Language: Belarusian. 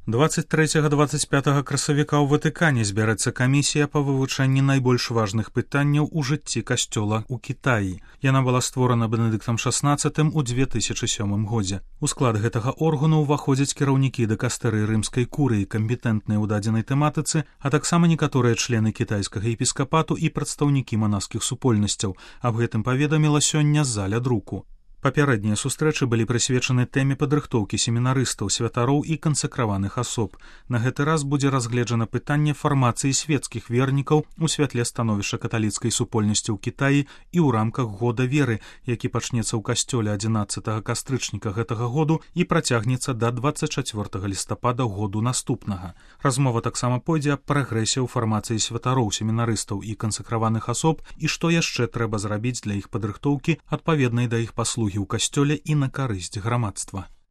23-25 красавіка ў Ватыкане збярэцца камісія па вывучэнні найбольш важных пытанняў у жыцці касцёла ў Кітаі. Яна была створана Бенедыктам XVI у 2007 годзе. У склад гэтага органу ўваходзяць кіраўнікі дыкастэрыі рымскай курыі, кампетэнтныя ў дадзенай тэматыцы, а таксама некаторыя члены кітайскага епіскапату і прадстаўнікі манаскіх супольнасцяў. Аб гэтым паведаміла сёння заля друку. Папярэднія сустрэчы былі прысвечаны тэме падрыхтоўкі семінарыстаў, святароў і кансакраваных асоб. На гэты раз будзе разгледжана пытанне фармацыі свецкіх вернікаў у святле становішча каталіцкай супольнасці ў Кітаі і ў рамках года веры, які пачнецца ў касцёле 11 кастрычніка гэтага году і працягнецца да 24 лістапада году наступнага. Размова таксама пойдзе аб прагрэсе ў фармацыі святароў, семінарыстаў і кансакраваных асоб і што яшчэ трэба зрабіць для іх падрыхтоўкі адпаведнай да іх паслугі ў касцёле і на карысць грамадства.